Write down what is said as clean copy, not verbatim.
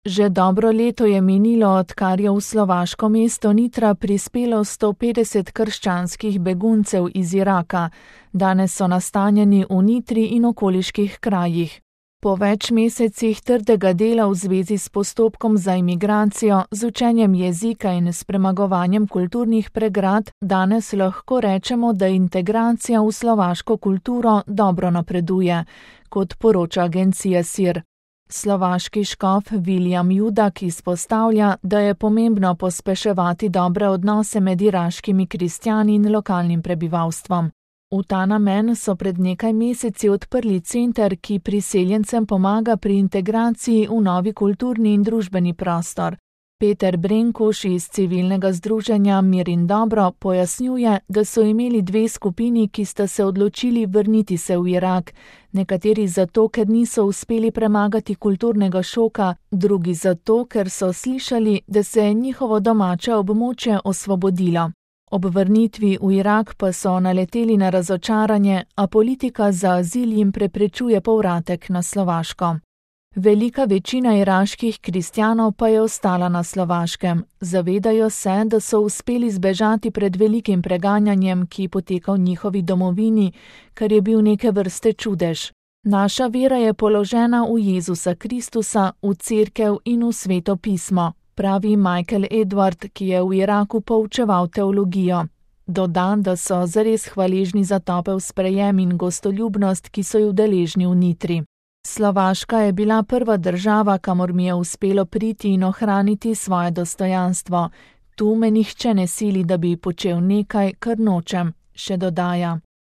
Že dobro leto je minilo, odkar je v slovaško mesto Nitra prispelo 150 krščanskih beguncev iz Iraka. Danes so nastanjeni v Nitri in okoliških krajih. Po več mesecih trdega dela v zvezi s postopkom za imigracijo, z učenjem jezika in s premagovanjem kulturnih pregrad, danes lahko rečemo, da integracija v slovaško kulturo dobro napreduje, kot poroča agencija SIR. Slovaški škof William Judak izpostavlja, da je pomembno pospeševati dobre odnose med iraškimi kristjani in lokalnim prebivalstvom. V ta namen so pred nekaj meseci odprli center, ki priseljencem pomaga pri integraciji v novi kulturni in družbeni prostor. Peter Brenkuš iz civilnega združenja Mir in dobro pojasnjuje, da so imeli dve skupini, ki sta se odločili vrniti se v Irak, nekateri zato, ker niso uspeli premagati kulturnega šoka, drugi zato, ker so slišali, da se je njihovo domače območje osvobodilo. Ob vrnitvi v Irak pa so naleteli na razočaranje, a politika za azil jim preprečuje povratek na Slovaško. Velika večina iraških kristjanov pa je ostala na Slovaškem. Zavedajo se, da so uspeli zbežati pred velikim preganjanjem, ki poteka v njihovi domovini, kar je bil neke vrste čudež. Naša vera je položena v Jezusa Kristusa, v cerkev in v Sveto pismo, pravi Michael Edward, ki je v Iraku poučeval teologijo. Doda, da so zares hvaležni za topel sprejem in gostoljubnost, ki so ju deležni v Nitri. Slovaška je bila prva država, kamor mi je uspelo priti in ohraniti svoje dostojanstvo. Tu me nihče ne sili, da bi počel nekaj, kar nočem, še dodaja.